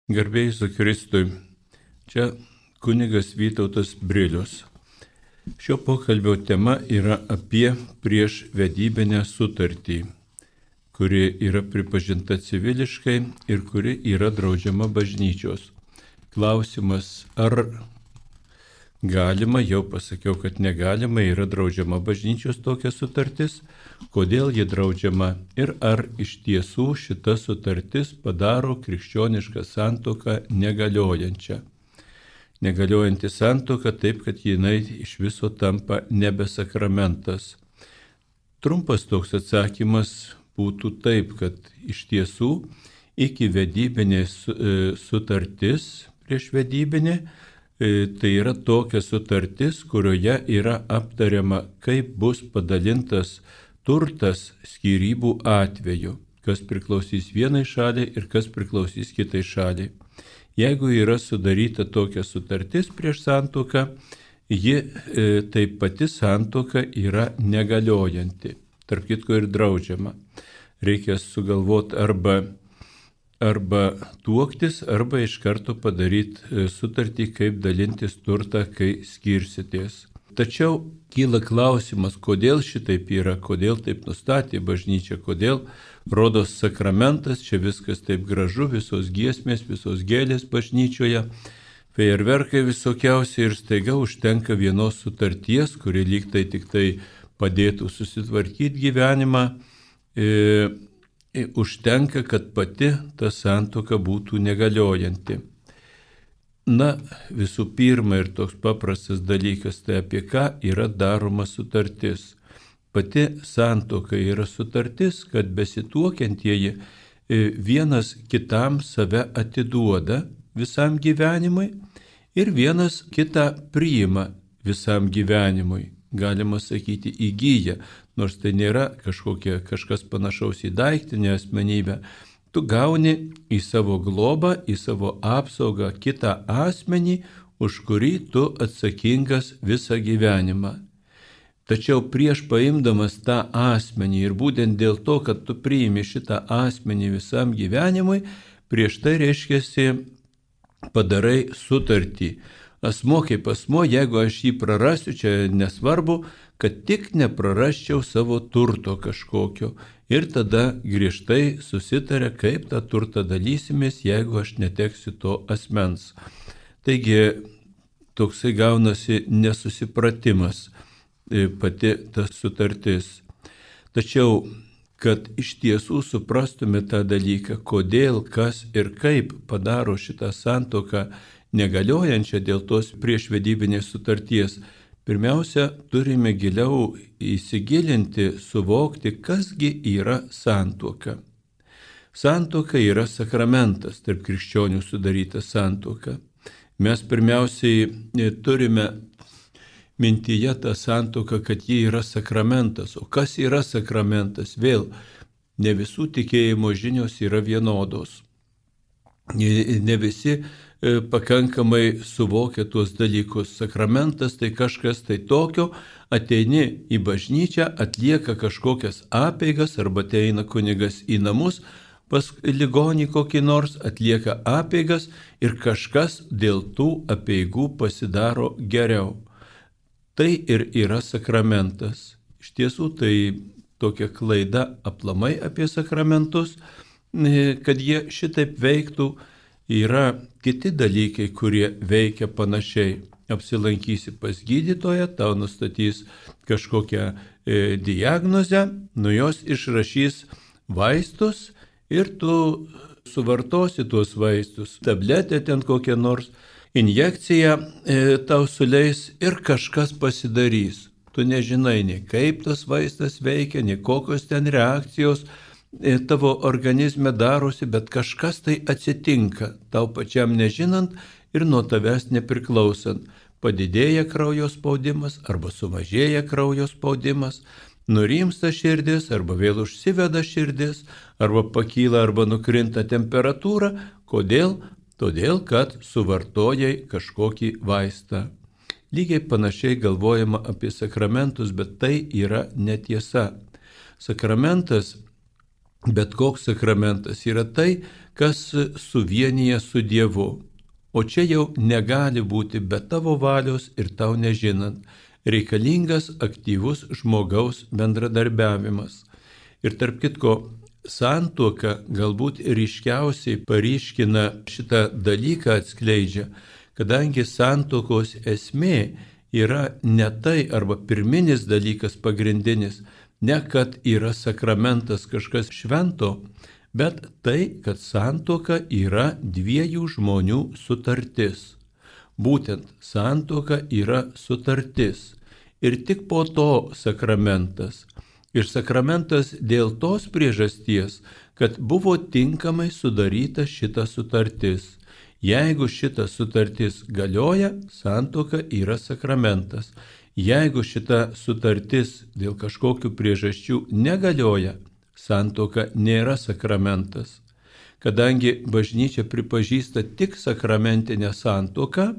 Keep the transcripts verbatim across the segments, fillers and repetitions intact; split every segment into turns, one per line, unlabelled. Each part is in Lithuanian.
Garbė Jėzui Kristui. Čia kunigas Vytautas Brilius. Šio pokalbio tema yra apie priešvedybinę sutartį, kuri yra pripažinta civiliškai ir kuri yra draudžiama bažnyčios. Klausimas, ar galima, jau pasakiau, kad negalima, yra draudžiama bažnyčios tokia sutartis, kodėl ji draudžiama ir ar iš tiesų šita sutartis padaro krikščionišką santuoką negaliojančią. Negaliojanti santuoka taip, kad jinai iš viso tampa nebesakramentas. Trumpas toks atsakymas būtų taip, kad iš tiesų iki vedybinė sutartis, priešvedybinė, tai yra tokia sutartis, kurioje yra aptariama, kaip bus padalintas turtas skyrybų atveju, kas priklausys vienai šaliai ir kas priklausys kitai šaliai. Jeigu yra sudaryta tokia sutartis prieš santuoką, ji e, tai pati santuoka yra negaliojanti, tarp kitko ir draudžiama. Reikia sugalvoti arba, arba tuoktis, arba iš karto padaryti sutartį, kaip dalintis turtą, kai skirsitės. Tačiau kyla klausimas, kodėl šitaip yra, kodėl taip nustatė bažnyčia, kodėl rodos sakramentas, čia viskas taip gražu, visos giesmės, visos gėlės bažnyčioje, fejerverkai visokiausiai ir staiga užtenka vienos sutarties, kuri lyg tai tik tai padėtų susitvarkyti gyvenimą, e, e, užtenka, kad pati ta santuoka būtų negaliojanti. Na, visų pirma ir toks paprastas dalykas, tai apie ką yra daroma sutartis. Pati santuoka yra sutartis, kad besituokiantieji vienas kitam save atiduoda visam gyvenimui ir vienas kitą priima visam gyvenimui. Galima sakyti įgyja, nors tai nėra kažkokia, kažkas panašaus į daiktinę asmenybę. Tu gauni į savo globą, į savo apsaugą kitą asmenį, už kurį tu atsakingas visą gyvenimą. Tačiau prieš paimdamas tą asmenį ir būtent dėl to, kad tu priimi šitą asmenį visam gyvenimui, prieš tai reiškiasi padarai sutartį. Asmuo kaip asmuo, jeigu aš jį prarasiu, čia nesvarbu, kad tik neprarasčiau savo turto kažkokio. Ir tada griežtai susitarė, kaip tą turtą dalysimės, jeigu aš neteksiu to asmens. Taigi toksai gaunasi nesusipratimas pati ta sutartis. Tačiau, kad iš tiesų suprastume tą dalyką, kodėl, kas ir kaip padaro šitą santuoką negaliojančią dėl tos priešvedybinės sutarties, pirmiausia, turime giliau įsigilinti, suvokti, kasgi yra santuoka. Santuoka yra sakramentas, tarp krikščionių sudaryta santuoka. Mes pirmiausiai turime mintyje tą santuoką, kad ji yra sakramentas. O kas yra sakramentas? Vėl, ne visų tikėjimo žinios yra vienodos. Ne visi pakankamai suvokia tuos dalykus. Sakramentas tai kažkas tai tokio, ateini į bažnyčią, atlieka kažkokias apeigas arba ateina kunigas į namus, pas ligonį kokį nors atlieka apeigas ir kažkas dėl tų apeigų pasidaro geriau. Tai ir yra sakramentas. Iš tiesų tai tokia klaida aplamai apie sakramentus, kad jie šitaip veiktų. Yra kiti dalykai, kurie veikia panašiai. Apsilankysi pas gydytoją, tau nustatys kažkokią e, diagnozę, nuo jos išrašys vaistus ir tu suvartosi tuos vaistus. Tabletė ten kokia nors, injekcija e, tau suleis ir kažkas pasidarys. Tu nežinai, nei kaip tas vaistas veikia, nei kokios ten reakcijos tavo organizme darosi, bet kažkas tai atsitinka, tau pačiam nežinant ir nuo tavęs nepriklausant. Padidėja kraujo spaudimas arba sumažėja kraujo spaudimas, nurimsta širdis arba vėl užsiveda širdis, arba pakyla arba nukrinta temperatūra. Kodėl? Todėl, kad suvartojai kažkokį vaistą. Lygiai panašiai galvojama apie sakramentus, bet tai yra netiesa. Sakramentas Bet koks sakramentas yra tai, kas suvienyje su Dievu. O čia jau negali būti be tavo valios ir tau nežinant. Reikalingas aktyvus žmogaus bendradarbiavimas. Ir tarp kitko, santuoka galbūt ryškiausiai paryškina šitą dalyką atskleidžia, kadangi santuokos esmė yra ne tai arba pirminis dalykas pagrindinis, ne kad yra sakramentas kažkas švento, bet tai, kad santuoka yra dviejų žmonių sutartis. Būtent santuoka yra sutartis ir tik po to sakramentas. Ir sakramentas dėl tos priežasties, kad buvo tinkamai sudaryta šita sutartis. Jeigu šita sutartis galioja, santuoka yra sakramentas. Jeigu šita sutartis dėl kažkokių priežasčių negalioja, santuoka nėra sakramentas. Kadangi bažnyčia pripažįsta tik sakramentinę santuoką,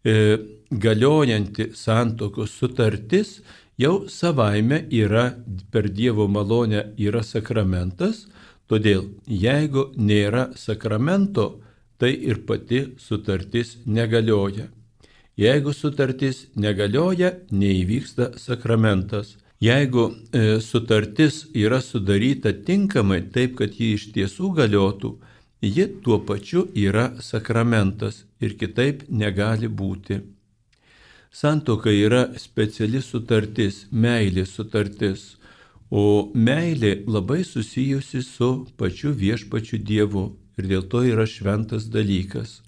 e, galiojanti santuokos sutartis jau savaime yra per Dievo malonę yra sakramentas, todėl jeigu nėra sakramento, tai ir pati sutartis negalioja. Jeigu sutartis negalioja, neįvyksta sakramentas. Jeigu e, sutartis yra sudaryta tinkamai, taip kad ji iš tiesų galiotų, ji tuo pačiu yra sakramentas ir kitaip negali būti. Santuoka yra speciali sutartis, meilės sutartis, o meilė labai susijusi su pačiu viešpačiu Dievu ir dėl to yra šventas dalykas.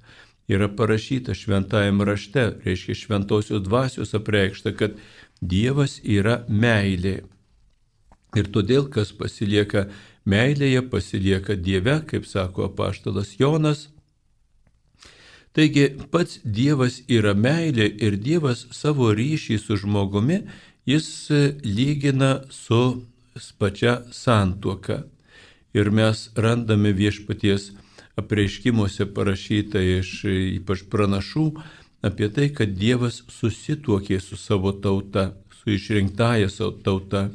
Yra parašyta šventajame rašte, reiškia šventosios dvasios apreikšta, kad Dievas yra meilė. Ir todėl, kas pasilieka meilėje, pasilieka Dieve, kaip sako apaštalas Jonas. Taigi pats Dievas yra meilė ir Dievas savo ryšį su žmogumi, jis lygina su pačia santuoka. Ir mes randame viešpaties apreiškimuose parašyta iš ypač pranašų apie tai, kad Dievas susituokė su savo tauta, su išrinktąja savo tauta.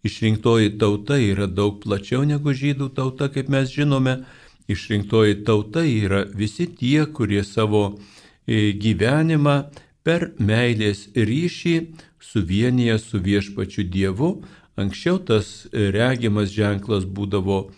Išrinktoji tauta yra daug plačiau negu žydų tauta, kaip mes žinome. Išrinktoji tauta yra visi tie, kurie savo gyvenimą per meilės ryšį suvienyje su viešpačiu Dievu. Anksčiau tas regimas ženklas būdavo,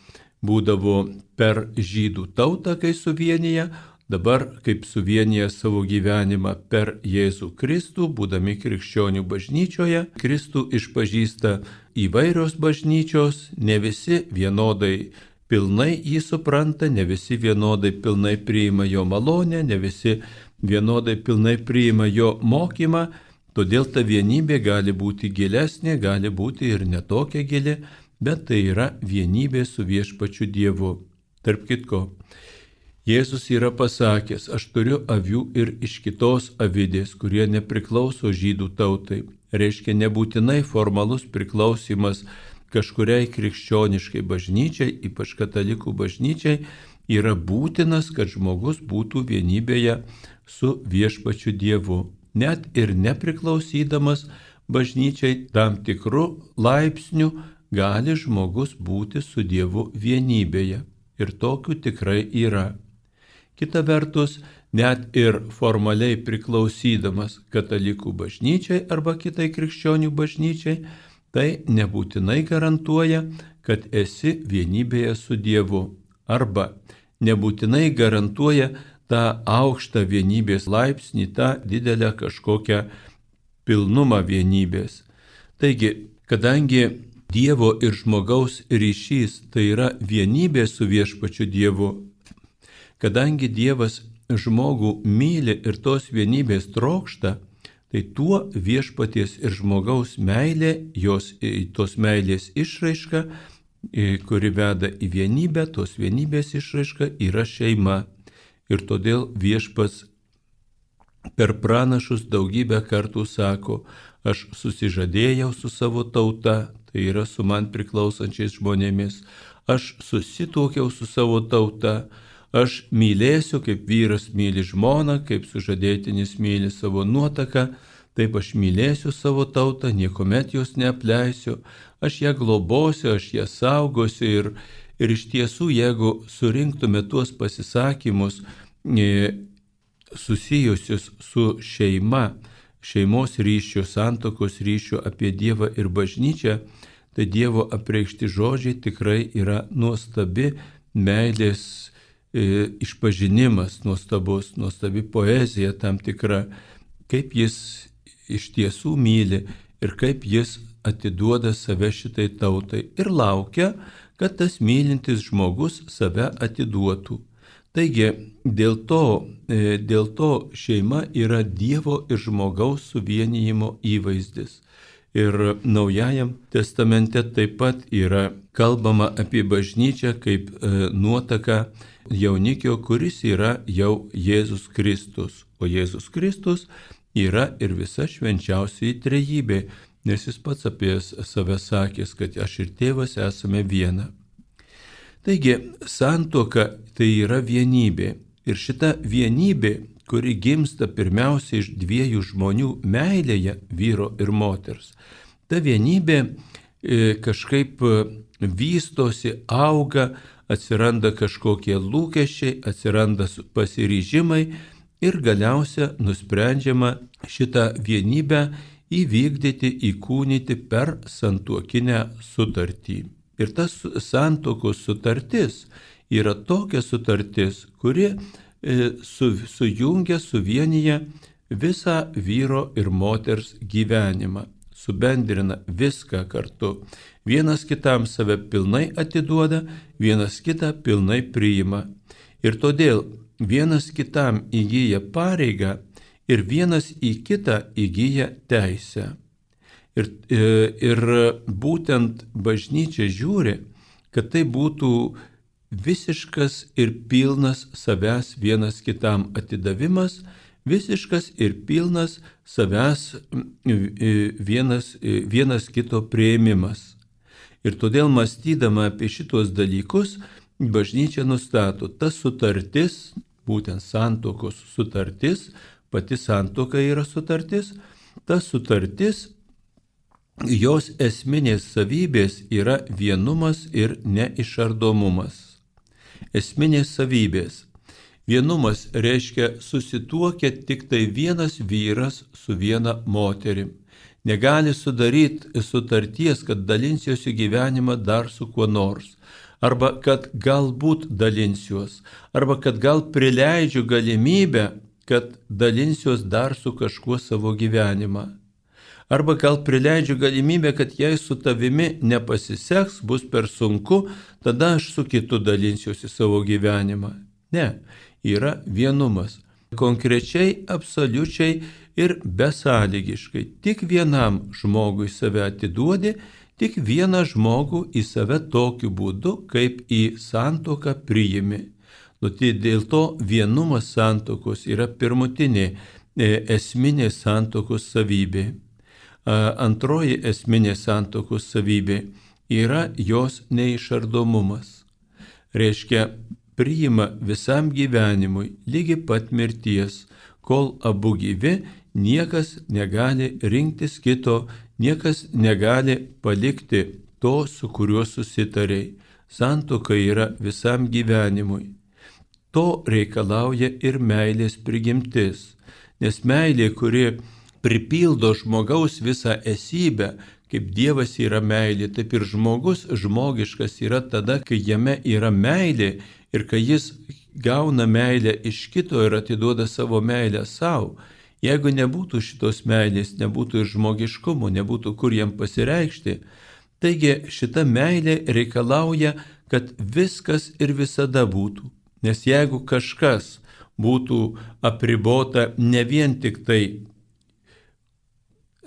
būdavo per žydų tautą, kai suvienyje, dabar kaip suvienyje savo gyvenimą per Jėzų Kristų, būdami krikščionių bažnyčioje. Kristų išpažįsta įvairios bažnyčios, ne visi vienodai pilnai jį supranta, ne visi vienodai pilnai priima jo malonę, ne visi vienodai pilnai priima jo mokymą, todėl ta vienybė gali būti gilesnė, gali būti ir netokia gili, bet tai yra vienybė su viešpačiu Dievu. Tarp kitko, Jėzus yra pasakęs, aš turiu avių ir iš kitos avidės, kurie nepriklauso žydų tautai. Reiškia nebūtinai formalus priklausimas kažkuriai krikščioniškai bažnyčiai, ypač katalikų bažnyčiai, yra būtinas, kad žmogus būtų vienybėje su viešpačiu Dievu. Net ir nepriklausydamas bažnyčiai tam tikrų laipsnių gali žmogus būti su Dievu vienybėje. Ir tokių tikrai yra. Kita vertus, net ir formaliai priklausydamas katalikų bažnyčiai arba kitai krikščionių bažnyčiai, tai nebūtinai garantuoja, kad esi vienybėje su Dievu. Arba nebūtinai garantuoja tą aukštą vienybės laipsnį, tą didelę kažkokią pilnumą vienybės. Taigi, kadangi Dievo ir žmogaus ryšys tai yra vienybė su viešpačiu Dievu, kadangi Dievas žmogų myli ir tos vienybės trokšta, tai tuo viešpaties ir žmogaus meilė, jos, tos meilės išraiška, kuri veda į vienybę, tos vienybės išraiška yra šeima. Ir todėl viešpats per pranašus daugybę kartų sako, aš susižadėjau su savo tauta, tai yra su man priklausančiais žmonėmis, aš susituokiau su savo tauta, aš mylėsiu, kaip vyras myli žmoną, kaip sužadėtinis myli savo nuotaką, Taip aš mylėsiu savo tautą, niekuomet jos neapleisiu, aš ją globosiu, aš ją saugosiu. Ir, ir iš tiesų, jeigu surinktume tuos pasisakymus e, susijusius su šeima, šeimos ryšių, santokos ryšių apie Dievą ir bažnyčią, tai Dievo apreikšti žodžiai tikrai yra nuostabi meilės e, išpažinimas, nuostabus, nuostabi poezija tam tikra, kaip jis iš tiesų myli ir kaip jis atiduoda save šitai tautai ir laukia, kad tas mylintis žmogus save atiduotų. Taigi, dėl to, e, dėl to šeima yra Dievo ir žmogaus suvienijimo įvaizdis. Ir Naujajam testamente taip pat yra kalbama apie bažnyčią kaip e, nuotaka jaunikio, kuris yra jau Jėzus Kristus. O Jėzus Kristus yra ir visa švenčiausioji trejybė, nes jis pats apie save sakęs, kad aš ir tėvas esame viena. Taigi, santuoka tai yra vienybė. Ir šita vienybė, kuri gimsta pirmiausia iš dviejų žmonių meilėje, vyro ir moters, ta vienybė e, kažkaip vystosi, auga, atsiranda kažkokie lūkesčiai, atsiranda pasiryžimai ir galiausia nusprendžiama šitą vienybę įvykdyti, įkūnyti per santuokinę sutartį. Ir tas santuokos sutartis yra tokia sutartis, kuri e, su, sujungia, suvienyje visą vyro ir moters gyvenimą, subendrina viską kartu. Vienas kitam save pilnai atiduoda, vienas kitą pilnai priima. Ir todėl vienas kitam įgyja pareigą ir vienas į kitą įgyja teisę. Ir, ir būtent bažnyčia žiūri, kad tai būtų visiškas ir pilnas savęs vienas kitam atidavimas, visiškas ir pilnas savęs vienas, vienas kito priėmimas. Ir todėl mąstydama apie šitos dalykus, bažnyčia nustato, ta sutartis, būtent santuokos sutartis, pati santuoka yra sutartis, ta sutartis, jos esminės savybės yra vienumas ir neišardomumas. Esminės savybės. Vienumas reiškia susituokia tik tai vienas vyras su viena moterim. Negali sudaryti sutarties, kad dalinsiuosi gyvenimą dar su kuo nors. Arba kad galbūt dalinsiuos. Arba kad gal prileidžiu galimybę, kad dalinsiuos dar su kažkuo savo gyvenimą. Arba gal prileidžiu galimybę, kad jei su tavimi nepasiseks, bus per sunku, tada aš su kitu dalinsiuosi savo gyvenimą. Ne, yra vienumas. Konkrečiai, absoliučiai ir besąlygiškai. Tik vienam žmogui save atiduodi, tik vieną žmogų į save tokiu būdu, kaip į santuoką priimi. Nu, tai dėl to vienumas santuokos yra pirmutinė esminė santuokos savybė. Antroji esminė santuokos savybė yra jos neišardomumas. Reiškia, priima visam gyvenimui lygi pat mirties, kol abu gyvi, niekas negali rinktis kito, niekas negali palikti to, su kuriuo susitarei. Santuoka yra visam gyvenimui. To reikalauja ir meilės prigimtis, nes meilė, kuri pripildo žmogaus visą esybę, kaip Dievas yra meilė, taip ir žmogus žmogiškas yra tada, kai jame yra meilė ir kai jis gauna meilę iš kito ir atiduoda savo meilę savo. Jeigu nebūtų šitos meilės, nebūtų ir žmogiškumo, nebūtų kur jam pasireikšti. Taigi šita meilė reikalauja, kad viskas ir visada būtų. Nes jeigu kažkas būtų apribota ne vien tik tai,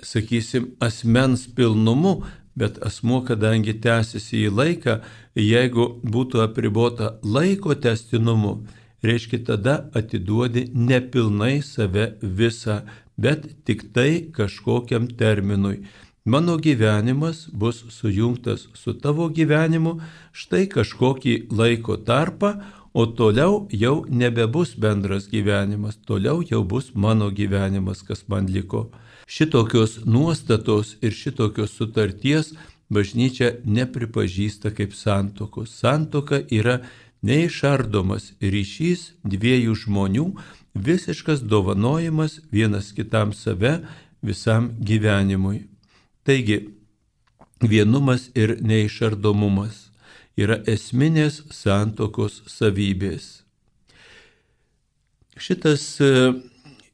sakysim, asmens pilnumu, bet asmuo, kadangi tęsiasi į laiką, jeigu būtų apribota laiko tęstinumu, reiškia tada atiduodi nepilnai save visą, bet tik tai kažkokiam terminui. Mano gyvenimas bus sujungtas su tavo gyvenimu štai kažkokį laiko tarpą, o toliau jau nebebus bendras gyvenimas, toliau jau bus mano gyvenimas, kas man liko. Šitokios nuostatos ir šitokios sutarties bažnyčia nepripažįsta kaip santuokos. Santuoka yra neišardomas ryšys dviejų žmonių, visiškas dovanojimas vienas kitam save visam gyvenimui. Taigi, vienumas ir neišardomumas yra esminės santuokos savybės. Šitas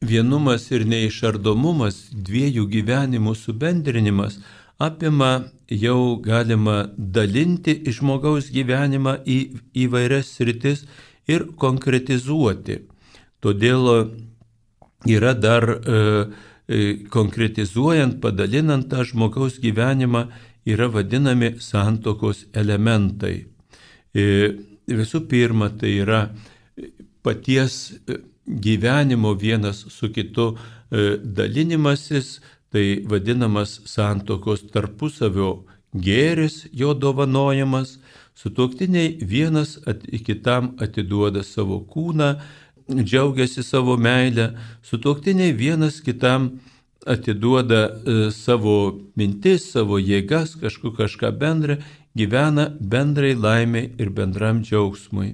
vienumas ir neišardomumas, dviejų gyvenimų subendrinimas apima jau galima dalinti žmogaus gyvenimą į įvairias sritis ir konkretizuoti. Todėl yra dar e, konkretizuojant, padalinant tą žmogaus gyvenimą, yra vadinami santuokos elementai. Visų pirma, tai yra paties gyvenimo vienas su kitu dalinimasis, tai vadinamas santuokos tarpusavio gėris, jo dovanojimas. Sutuoktiniai vienas at, kitam atiduoda savo kūną, džiaugiasi savo meilę, sutuoktiniai vienas kitam atiduoda e, savo mintis, savo jėgas, kažku kažką bendrą, gyvena bendrai laimiai ir bendram džiaugsmui.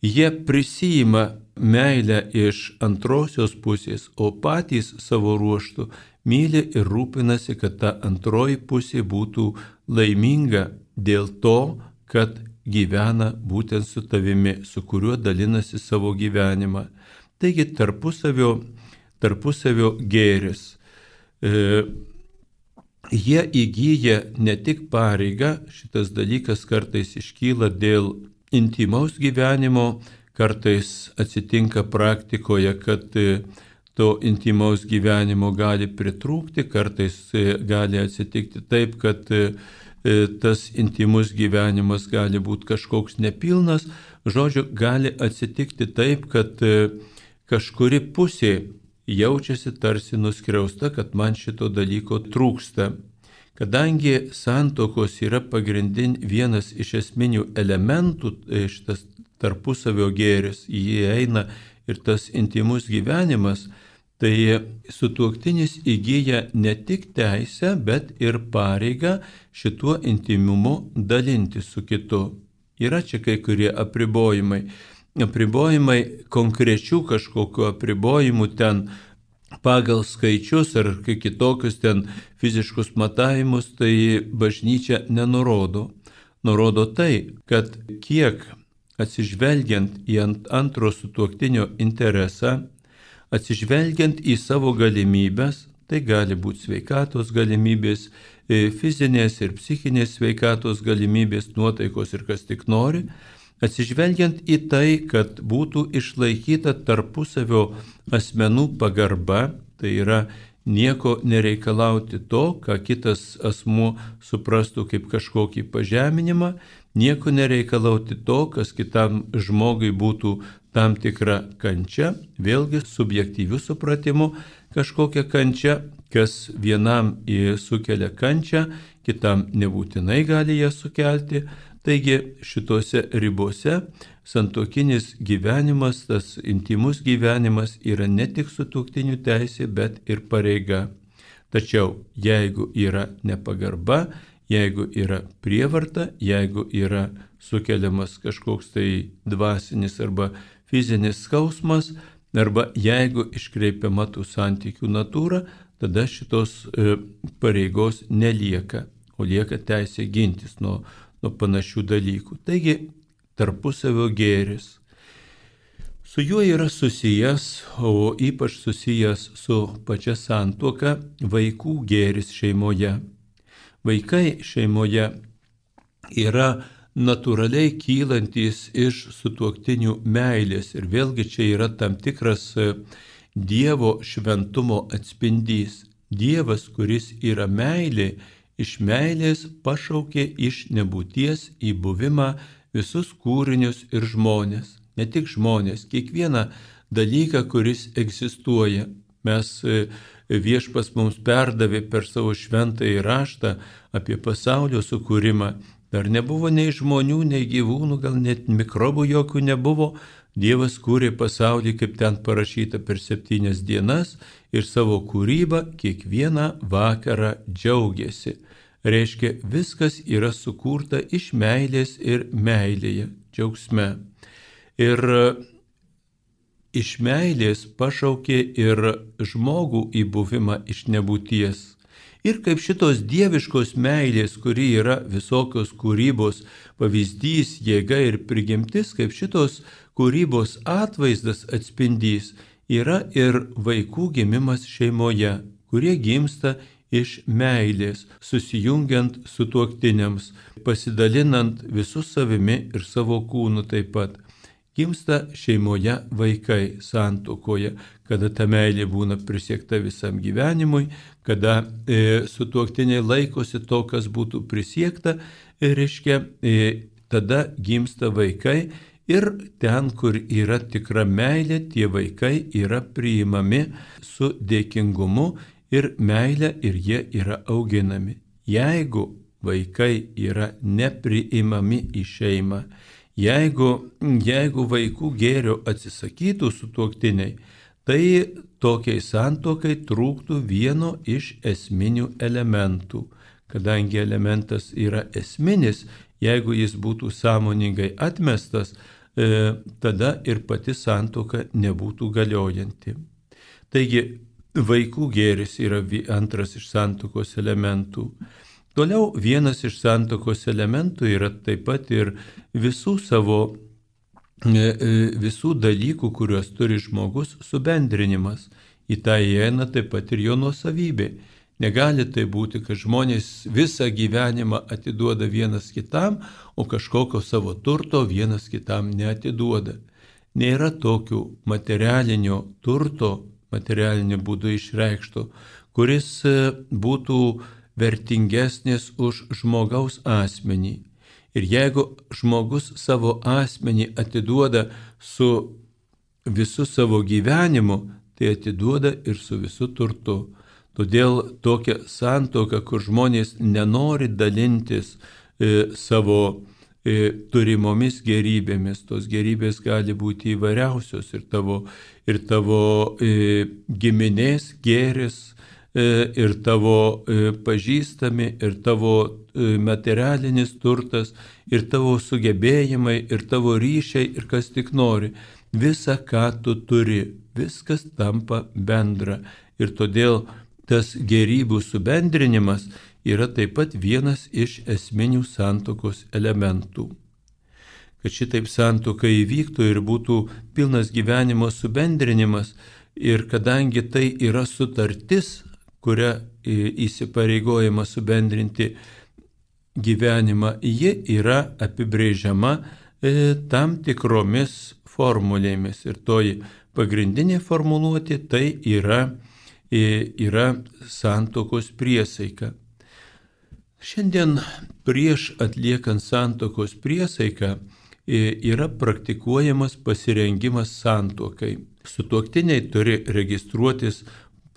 Jie prisijima meilę iš antrosios pusės, o patys savo ruoštų myli ir rūpinasi, kad ta antroji pusė būtų laiminga dėl to, kad gyvena būtent su tavimi, su kuriuo dalinasi savo gyvenimą. Taigi tarpusavio, tarpusavio gėris. E, jie įgyja ne tik pareigą, šitas dalykas kartais iškyla dėl intimaus gyvenimo, kartais atsitinka praktikoje, kad to intimaus gyvenimo gali pritrūkti, kartais gali atsitikti taip, kad tas intimus gyvenimas gali būti kažkoks nepilnas. Žodžiu, gali atsitikti taip, kad kažkuri pusė jaučiasi tarsi nuskriausta, kad man šito dalyko trūksta. Kadangi santuokos yra pagrindin vienas iš esminių elementų, šitas tarpusavio gėris, į jį eina ir tas intimus gyvenimas, tai sutuoktinis įgyja ne tik teisę, bet ir pareigą šituo intimumu dalinti su kitu. Yra čia kai kurie apribojimai. Apribojimai konkrečių kažkokiu apribojimų ten pagal skaičius ar kitokius ten fiziškus matavimus, tai bažnyčia nenurodo. Nurodo tai, kad kiek atsižvelgiant į antro sutuoktinio interesą, atsižvelgiant į savo galimybės, tai gali būti sveikatos galimybės, fizinės ir psichinės sveikatos galimybės, nuotaikos ir kas tik nori, atsižvelgiant į tai, kad būtų išlaikyta tarpusavio asmenų pagarba, tai yra nieko nereikalauti to, ką kitas asmuo suprastų kaip kažkokį pažeminimą, nieko nereikalauti to, kas kitam žmogui būtų tam tikra kančia, vėlgi subjektyvių supratimų kažkokia kančia, kas vienam sukelia kančią, kitam nebūtinai gali ją sukelti. Taigi šitose ribose santuokinis gyvenimas, tas intimus gyvenimas yra ne tik sutuoktinių teisė, bet ir pareiga. Tačiau jeigu yra nepagarba, jeigu yra prievarta, jeigu yra sukeliamas kažkoks tai dvasinis arba fizinis skausmas, arba jeigu iškreipiama tų santykių natūra, tada šitos e, pareigos nelieka, o lieka teisė gintis nuo nuo panašių dalykų. Taigi, tarpusavio gėris. Su juo yra susijęs, o ypač susijęs su pačia santuoka, vaikų gėris šeimoje. Vaikai šeimoje yra natūraliai kylantis iš sutuoktinių meilės ir vėlgi čia yra tam tikras Dievo šventumo atspindys. Dievas, kuris yra meilė, iš meilės pašaukė iš nebūties į buvimą visus kūrinius ir žmonės. Ne tik žmonės, kiekvieną dalyką, kuris egzistuoja. Mes Viešpats mums perdavė per savo šventąjį raštą apie pasaulio sukūrimą. Dar nebuvo nei žmonių, nei gyvūnų, gal net mikrobų jokių nebuvo. Dievas kūrė pasaulį, kaip ten parašyta, per septynias dienas ir savo kūrybą kiekvieną vakarą džiaugiasi. Reiškia, viskas yra sukurta iš meilės ir meilėje, džiaugsme. Ir iš meilės pašaukė ir žmogų į buvimą iš nebūties. Ir kaip šitos dieviškos meilės, kuri yra visokios kūrybos pavyzdys, jėga ir prigimtis, kaip šitos kūrybos atvaizdas atspindys, yra ir vaikų gimimas šeimoje, kurie gimsta iš meilės, susijungiant su tuoktiniams, pasidalinant visų savimi ir savo kūnu taip pat. Gimsta šeimoje vaikai santuokoje, kada ta meilė būna prisiekta visam gyvenimui, kada e, sutuoktiniai laikosi to, kas būtų prisiekta, e, reiškia, e, tada gimsta vaikai ir ten, kur yra tikra meilė, tie vaikai yra priimami su dėkingumu ir meilė ir jie yra auginami. Jeigu vaikai yra nepriimami į šeimą, Jeigu, jeigu vaikų gėrio atsisakytų sutuoktiniai, tai tokiai santuokai trūktų vieno iš esminių elementų. Kadangi elementas yra esminis, jeigu jis būtų sąmoningai atmestas, e, tada ir pati santuoka nebūtų galiojanti. Taigi, vaikų gėris yra antras iš santuokos elementų. Toliau vienas iš santuokos elementų yra taip pat ir visų savo, visų dalykų, kuriuos turi žmogus, subendrinimas. Į tą įeina taip pat ir jo nuosavybė. Negali tai būti, kad žmonės visą gyvenimą atiduoda vienas kitam, o kažkokio savo turto vienas kitam neatiduoda. Nėra tokių materialinio turto, materialiniu būdu išreikšto, kuris būtų vertingesnis už žmogaus asmenį. Ir jeigu žmogus savo asmenį atiduoda su visu savo gyvenimu, tai atiduoda ir su visu turtu. Todėl tokia santuoka, kur žmonės nenori dalintis e, savo e, turimomis gerybėmis, tos gerybės gali būti įvairiausios ir tavo, ir tavo e, giminės gėris, ir tavo pažįstami, ir tavo materialinis turtas, ir tavo sugebėjimai, ir tavo ryšiai, ir kas tik nori. Visa, ką tu turi, viskas tampa bendra. Ir todėl tas gerybų subendrinimas yra taip pat vienas iš esminių santuokos elementų. Kad šitaip santuoka įvyktų ir būtų pilnas gyvenimo subendrinimas, ir kadangi tai yra sutartis, kuria įsipareigojama subendrinti gyvenimą, ji yra apibrėžiama tam tikromis formulėmis. Ir toji pagrindinė formuluotė tai yra, yra santuokos priesaika. Šiandien prieš atliekant santuokos priesaiką yra praktikuojamas pasirengimas santuokai. Sutuoktiniai turi registruotis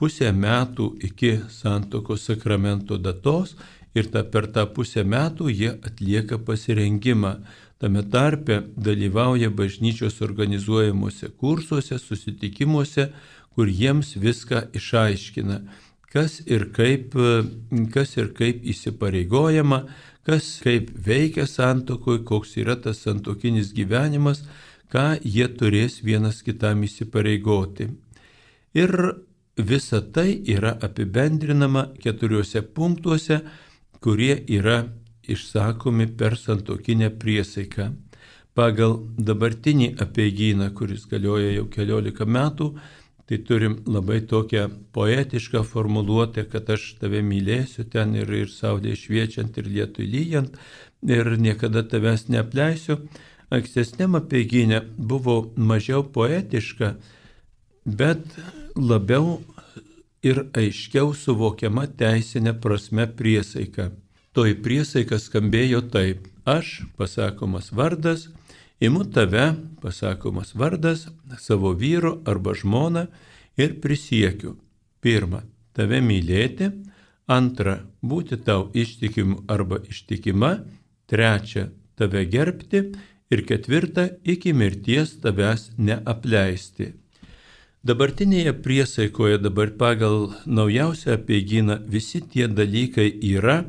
pusę metų iki santuokos sakramento datos ir ta, per tą pusę metų jie atlieka pasirengimą. Tame tarpe dalyvauja bažnyčios organizuojamuose kursuose, susitikimuose, kur jiems viską išaiškina, kas ir kaip, kas ir kaip įsipareigojama, kas kaip veikia santuokoje, koks yra tas santuokinis gyvenimas, ką jie turės vienas kitam įsipareigoti. Ir visa tai yra apibendrinama keturiuose punktuose, kurie yra išsakomi per santuokinę priesaiką. Pagal dabartinį apeigyną, kuris galioja jau keliolika metų, tai turim labai tokią poetišką formuluotę, kad aš tave mylėsiu ten ir, ir saulė šviečiant, ir lietui lyjant, ir niekada tavęs neapleisiu. Ankstesniam apeigyne buvo mažiau poetiška, bet labiau ir aiškiau suvokiama teisinė prasme priesaika. Toji priesaika skambėjo taip: aš, pasakomas vardas, imu tave, pasakomas vardas, savo vyro arba žmoną ir prisiekiu. Pirma, tave mylėti, antra, būti tau ištikimu arba ištikima, trečia, tave gerbti Ir ketvirta, iki mirties tavęs neapleisti. Dabartinėje priesaikoje, dabar pagal naujausią apeigyną, visi tie dalykai yra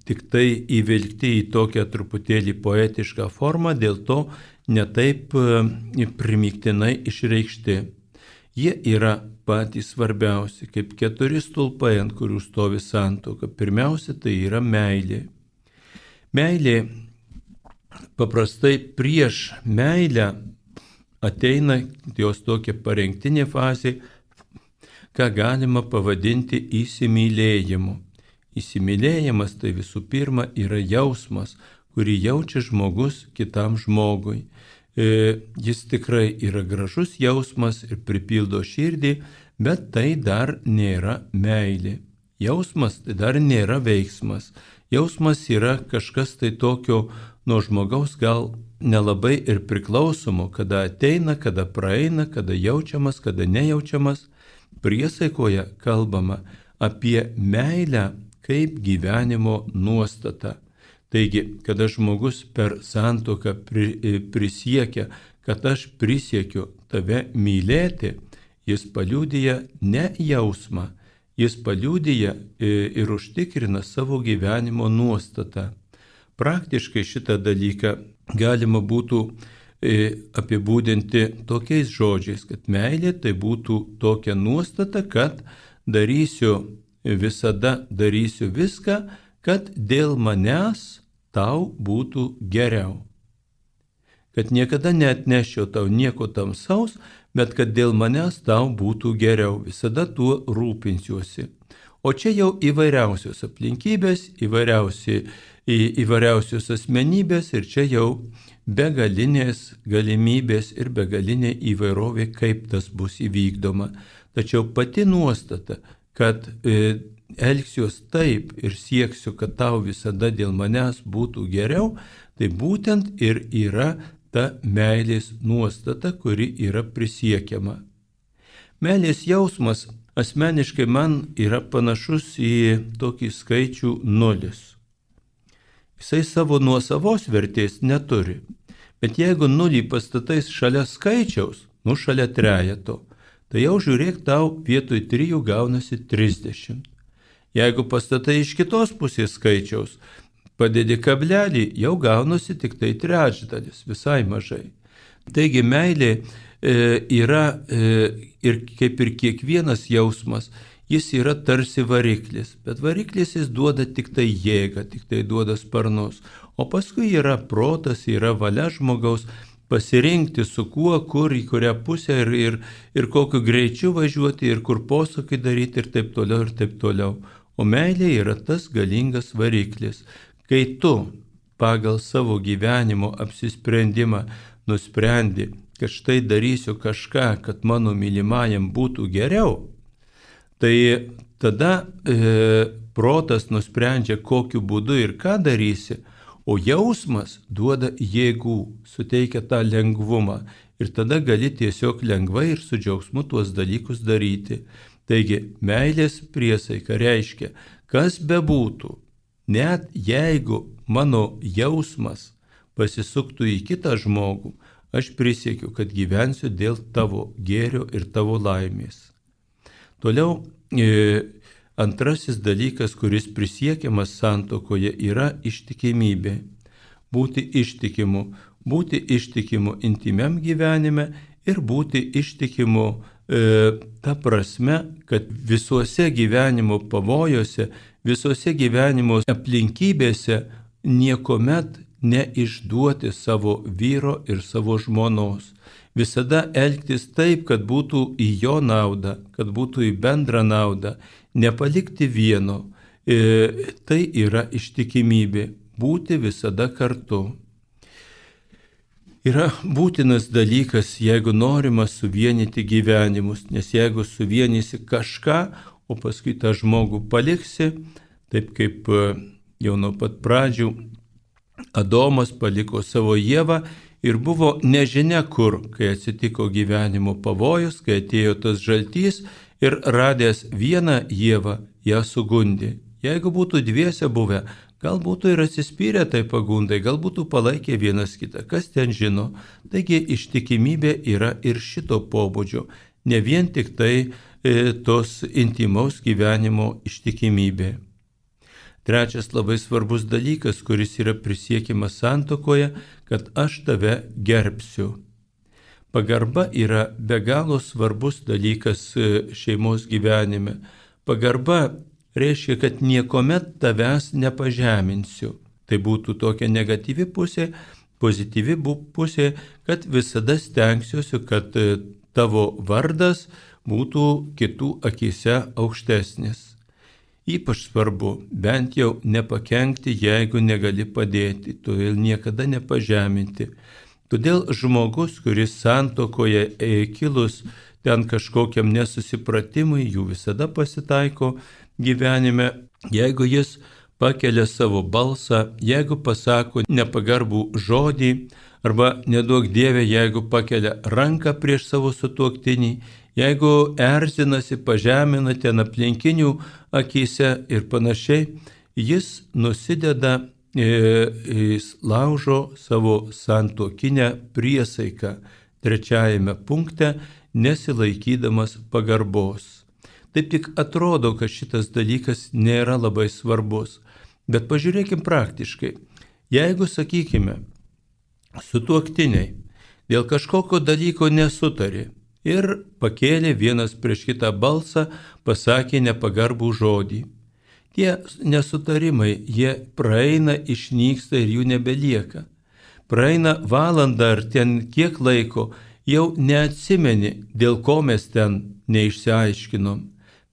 tik tai įvilkti į tokią truputėlį poetišką formą, dėl to netaip primygtinai išreikšti. Jie yra patys svarbiausi, kaip keturi stulpai, ant kurių stovi santuoka. Pirmiausia, tai yra meilė. Meilė paprastai prieš meilę ateina jos tokia parengtinė fazė, ką galima pavadinti įsimylėjimu. Įsimylėjimas tai visų pirma yra jausmas, kurį jaučia žmogus kitam žmogui. E, jis tikrai yra gražus jausmas ir pripildo širdį, bet tai dar nėra meilė. Jausmas tai dar nėra veiksmas. Jausmas yra kažkas tai tokio nuo žmogaus gal nelabai ir priklausomo, kada ateina, kada praeina, kada jaučiamas, kada nejaučiamas. Priesaikoje kalbama apie meilę kaip gyvenimo nuostatą. Taigi, kada žmogus per santuoką prisiekia, kad aš prisiekiu tave mylėti, jis paliudija ne jausmą, jis paliudija ir užtikrina savo gyvenimo nuostatą. Praktiškai šitą dalyką galima būtų apibūdinti tokiais žodžiais, kad meilė tai būtų tokia nuostata, kad darysiu, visada darysiu viską, kad dėl manęs tau būtų geriau. Kad niekada neatnešiu tau nieko tamsaus, bet kad dėl manęs tau būtų geriau. Visada tuo rūpinsiuosi. O čia jau įvairiausios aplinkybės, įvairiausi, į, įvairiausios asmenybės ir čia jau begalinės galimybės ir begalinė įvairovė, kaip tas bus įvykdoma. Tačiau pati nuostata, kad e, elgsiuos taip ir sieksiu, kad tau visada dėl manęs būtų geriau, tai būtent ir yra ta meilės nuostata, kuri yra prisiekiama. Meilės jausmas asmeniškai man yra panašus į tokį skaičių nulis. Jisai savo nuosavos vertės neturi, bet jeigu nulį pastatais šalia skaičiaus, nu šalia trejeto, tai jau žiūrėk, tau vietoj trijų gaunasi trisdešimt. Jeigu pastatai iš kitos pusės skaičiaus, padedi kablelį, jau gaunasi tik tai trečdalis, visai mažai. Taigi meilė e, yra e, ir kaip ir kiekvienas jausmas, jis yra tarsi variklis, bet variklis jis duoda tik tai jėgą, tik tai duoda sparnus, o paskui yra protas, yra valia žmogaus pasirinkti su kuo, kur, į kurią pusę ir, ir, ir kokiu greičiu važiuoti ir kur posūkį daryti ir taip toliau ir taip toliau. O meilė yra tas galingas variklis. Kai tu pagal savo gyvenimo apsisprendimą nusprendi, kad štai darysiu kažką, kad mano mylimajam būtų geriau, tai tada e, protas nusprendžia, kokiu būdu ir ką darysi, o jausmas duoda jėgų, suteikia tą lengvumą ir tada gali tiesiog lengvai ir su džiaugsmu tuos dalykus daryti. Taigi, meilės priesaika reiškia, kas bebūtų, net jeigu mano jausmas pasisuktų į kitą žmogų, aš prisiekiu, kad gyvensiu dėl tavo gėrio ir tavo laimės. Toliau, e, antrasis dalykas, kuris prisiekiamas santuokoje, yra ištikimybė. Būti ištikimu, būti ištikimu intimiam gyvenime ir būti ištikimu e, ta prasme, kad visuose gyvenimo pavojuose, visuose gyvenimo aplinkybėse niekuomet neišduoti savo vyro ir savo žmonos. Visada elgtis taip, kad būtų į jo naudą, kad būtų į bendrą naudą, nepalikti vieno. E, tai yra ištikimybė, būti visada kartu. Yra būtinas dalykas, jeigu norima suvienyti gyvenimus, nes jeigu suvienysi kažką, o paskui tą žmogų paliksi, taip kaip jau nuo pat pradžių Adomas paliko savo Ievą ir buvo nežinia kur, kai atsitiko gyvenimo pavojus, kai atėjo tas žaltys ir radęs vieną Ievą, ją sugundė. Jeigu būtų dviese buvę, Gal būtų ir atsispyrę tai pagundai, gal būtų palaikę vienas kitą, kas ten žino. Taigi ištikimybė yra ir šito pobūdžio, ne vien tik tai e, tos intimaus gyvenimo ištikimybė. Trečias labai svarbus dalykas, kuris yra prisiekiamas santuokoje, kad aš tave gerbsiu. Pagarba yra be galo svarbus dalykas šeimos gyvenime. Pagarba reiškia, kad niekuomet tavęs nepažeminsiu. Tai būtų tokia negatyvi pusė, pozityvi pusė, kad visada stengsiuosi, kad tavo vardas būtų kitų akyse aukštesnis. Ypač svarbu bent jau nepakenkti, jeigu negali padėti, todėl niekada nepažeminti. Todėl žmogus, kuris santuokoje kilus ten kažkokiam nesusipratimui, jų visada pasitaiko gyvenime, jeigu jis pakelia savo balsą, jeigu pasako nepagarbų žodį, arba neduok Dieve, jeigu pakelia ranką prieš savo sutuoktinį, jeigu erzinasi, pažemina ten aplinkinių akyse ir panašiai, jis nusideda, jis laužo savo santuokinę priesaiką trečiajame punkte, nesilaikydamas pagarbos. Taip tik atrodo, kad šitas dalykas nėra labai svarbus, bet pažiūrėkim praktiškai. Jeigu, sakykime, sutuoktiniai dėl kažkokio dalyko nesutarė ir pakėlė vienas prieš kitą balsą, pasakė nepagarbų žodį. Tie nesutarimai, jie praeina, išnyksta ir jų nebelieka. Praeina valanda ar ten kiek laiko, jau neatsimeni, dėl ko mes ten neišsiaiškinom.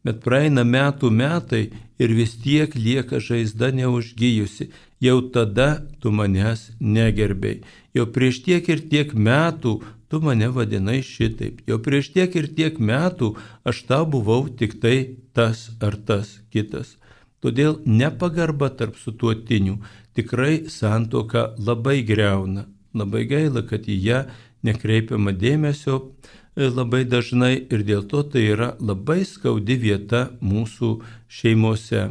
Bet praeina metų metai ir vis tiek lieka žaizda neužgijusi. Jau tada tu manęs negerbei. Jau prieš tiek ir tiek metų tu mane vadinai šitaip. Jau prieš tiek ir tiek metų aš tau buvau tik tai tas ar tas kitas. Todėl nepagarba tarp sutuoktinių tikrai santuoką labai griauna. Labai gaila, kad į ją nekreipiama dėmesio labai dažnai ir dėl to tai yra labai skaudi vieta mūsų šeimose.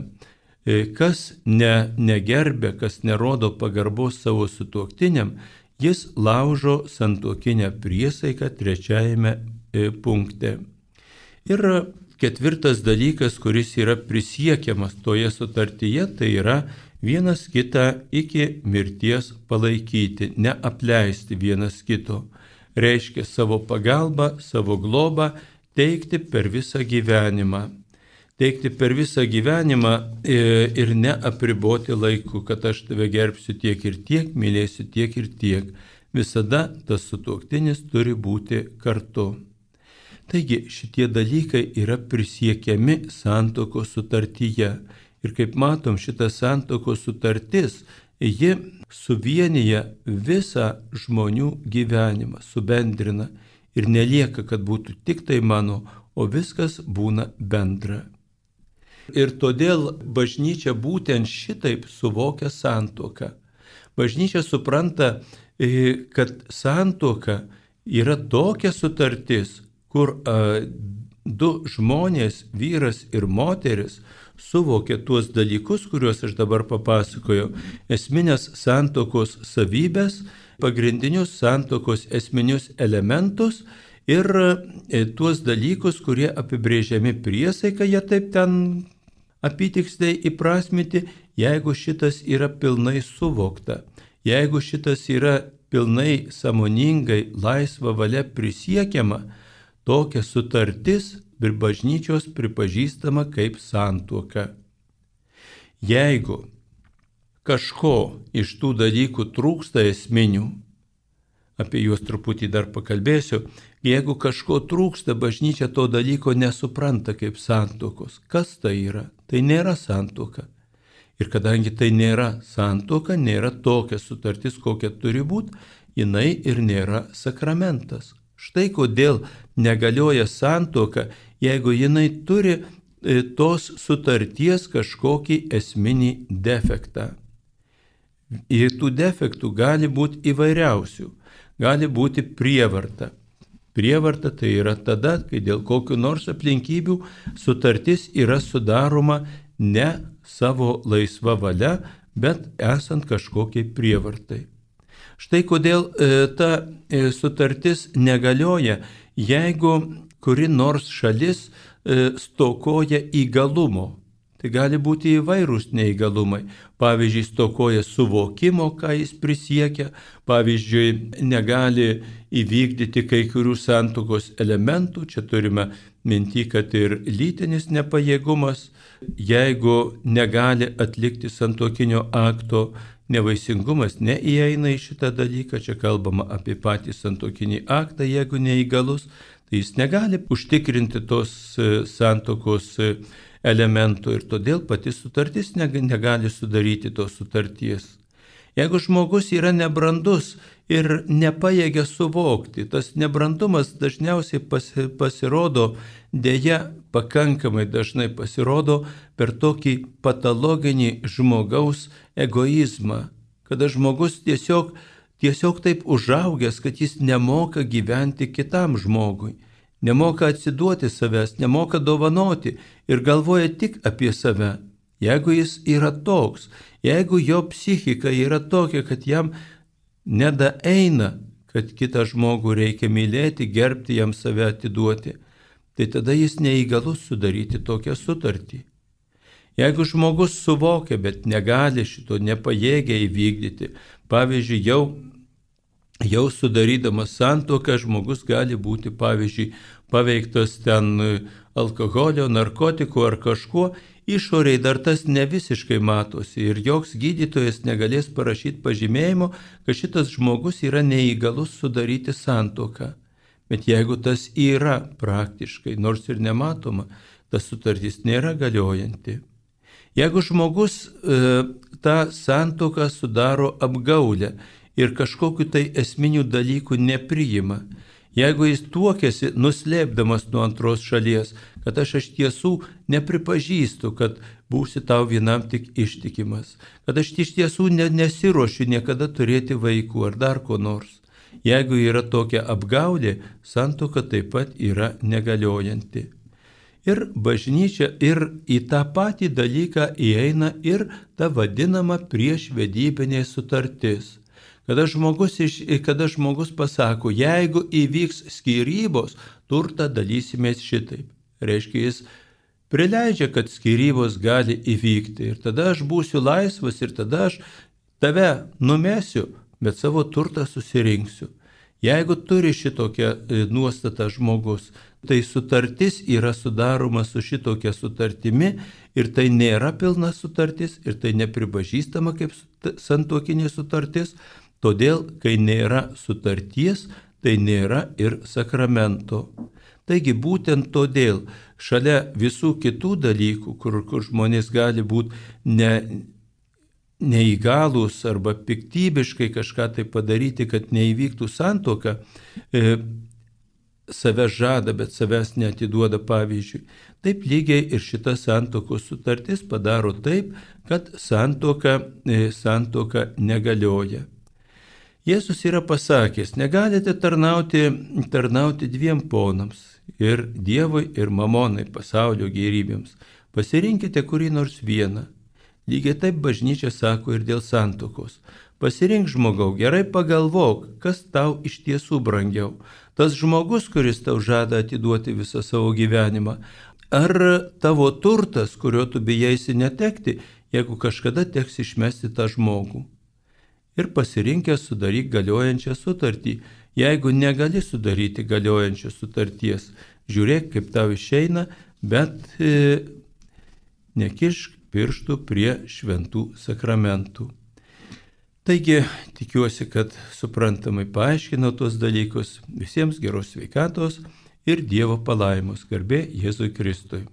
Kas ne, negerbė, kas nerodo pagarbos savo sutuoktiniam, jis laužo santuokinę priesaiką trečiajame punkte. Ir ketvirtas dalykas, kuris yra prisiekiamas toje sutartyje, tai yra vienas kitą iki mirties palaikyti, neapleisti vienas kito. Reiškia savo pagalbą, savo globą teikti per visą gyvenimą. Teikti per visą gyvenimą ir neapriboti laiku, kad aš tave gerbsiu tiek ir tiek, mylėsiu tiek ir tiek. Visada tas sutuoktinis turi būti kartu. Taigi šitie dalykai yra prisiekiami santuokos sutartyje. Ir kaip matom, šita santuokos sutartis, ji suvienyje visą žmonių gyvenimą, subendrina ir nelieka, kad būtų tik tai mano, o viskas būna bendra. Ir todėl bažnyčia būtent šitaip suvokia santuoką. Bažnyčia supranta, kad santuoka yra tokia sutartis, kur a, du žmonės, vyras ir moteris, suvokia tuos dalykus, kuriuos aš dabar papasakojau, esminės santuokos savybės, pagrindinius santuokos esminius elementus ir tuos dalykus, kurie apibrėžiami priesaika, jie taip ten apytiksliai įprasminti, jeigu šitas yra pilnai suvokta, jeigu šitas yra pilnai sąmoningai laisva valia prisiekiama, tokia sutartis ir bažnyčios pripažįstama kaip santuoka. Jeigu kažko iš tų dalykų trūksta esminių, apie juos truputį dar pakalbėsiu, jeigu kažko trūksta, bažnyčia to dalyko nesupranta kaip santuokos. Kas tai yra? Tai nėra santuoka. Ir kadangi tai nėra santuoka, nėra tokia sutartis, kokia turi būti, jinai ir nėra sakramentas. Štai kodėl negalioja santuoka, jeigu jinai turi tos sutarties kažkokį esminį defektą. Ir tų defektų gali būti įvairiausių, gali būti prievarta. Prievarta tai yra tada, kai dėl kokių nors aplinkybių sutartis yra sudaroma ne savo laisva valia, bet esant kažkokiai prievartai. Štai kodėl e, ta e, sutartis negalioja, jeigu kuri nors šalis e, stokoja įgalumo. Tai gali būti įvairūs neįgalumai. Pavyzdžiui, stokoja suvokimo, ką jis prisiekia. Pavyzdžiui, negali įvykdyti kai kurių santuokos elementų. Čia turime minti, kad ir lytinis nepajėgumas. Jeigu negali atlikti santuokinio akto, nevaisingumas neįeina į šitą dalyką. Čia kalbama apie patį santuokinį aktą. Jeigu neįgalus, tai jis negali užtikrinti tos santuokos elementų ir todėl pati sutartis negali sudaryti tos sutarties. Jeigu žmogus yra nebrandus ir nepajėgia suvokti, tas nebrandumas dažniausiai pasirodo, dėja pakankamai dažnai pasirodo per tokį patologinį žmogaus egoizmą, kada žmogus tiesiog, tiesiog taip užaugęs, kad jis nemoka gyventi kitam žmogui. Nemoka atsiduoti savęs, nemoka dovanoti ir galvoja tik apie save. Jeigu jis yra toks, jeigu jo psichika yra tokia, kad jam nedaeina, kad kitą žmogų reikia mylėti, gerbti, jam save atiduoti, tai tada jis neįgalus sudaryti tokią sutartį. Jeigu žmogus suvokia, bet negali šito, nepajėgia įvykdyti, pavyzdžiui, jau Jau sudarydamas santuoką žmogus gali būti, pavyzdžiui, paveiktas ten alkoholio, narkotikų ar kažkuo, išoriai dar tas ne visiškai matosi ir joks gydytojas negalės parašyti pažymėjimo, kad šitas žmogus yra neįgalus sudaryti santuoką. Bet jeigu tas yra praktiškai, nors ir nematoma, tas sutartis nėra galiojanti. Jeigu žmogus e, tą santuoką sudaro apgaulę, ir kažkokiu tai esminių dalykų nepriima. Jeigu jis tuokiasi, nuslėpdamas nuo antros šalies, kad aš iš tiesų nepripažįstu, kad būsi tau vienam tik ištikimas, kad aš iš tiesų ne, nesiruošiu niekada turėti vaikų ar dar ko nors. Jeigu yra tokia apgaulė, santuoka taip pat yra negaliojanti. Ir bažnyčia ir į tą patį dalyką įeina ir ta vadinama priešvedybinė sutartis. Kada žmogus, iš, kada žmogus pasako, jeigu įvyks skyrybos, turtą dalysimės šitaip. Reiškia, jis prileidžia, kad skyrybos gali įvykti. Ir tada aš būsiu laisvas ir tada aš tave numesiu, bet savo turtą susirinksiu. Jeigu turi šitokią nuostatą žmogus, tai sutartis yra sudaroma su šitokia sutartimi ir tai nėra pilna sutartis ir tai nepripažįstama kaip santuokinė sutartis. Todėl, kai nėra sutarties, tai nėra ir sakramento. Taigi būtent todėl šalia visų kitų dalykų, kur, kur žmonės gali būti ne, neįgalūs arba piktybiškai kažką tai padaryti, kad neįvyktų santuoka, e, save žada, bet savęs neatiduoda pavyzdžiui. Taip lygiai ir šita santuokos sutartis padaro taip, kad santuoka, e, santuoka negalioja. Jėzus yra pasakęs, negalite tarnauti, tarnauti dviem ponams, ir Dievui, ir mamonai, pasaulio gėrybėms. Pasirinkite kurį nors vieną. Lygiai taip bažnyčia sako ir dėl santuokos. Pasirink žmogau, gerai pagalvok, kas tau iš tiesų brangiau. Tas žmogus, kuris tau žada atiduoti visą savo gyvenimą, ar tavo turtas, kurio tu bijaisi netekti, jeigu kažkada teks išmesti tą žmogų. Ir pasirinkęs sudaryk galiojančią sutartį. Jeigu negali sudaryti galiojančios sutarties, žiūrėk, kaip tau išeina, bet e, nekišk pirštų prie šventų sakramentų. Taigi, tikiuosi, kad suprantamai paaiškinau tuos dalykus. Visiems geros sveikatos ir Dievo palaimos. Garbė Jėzui Kristui.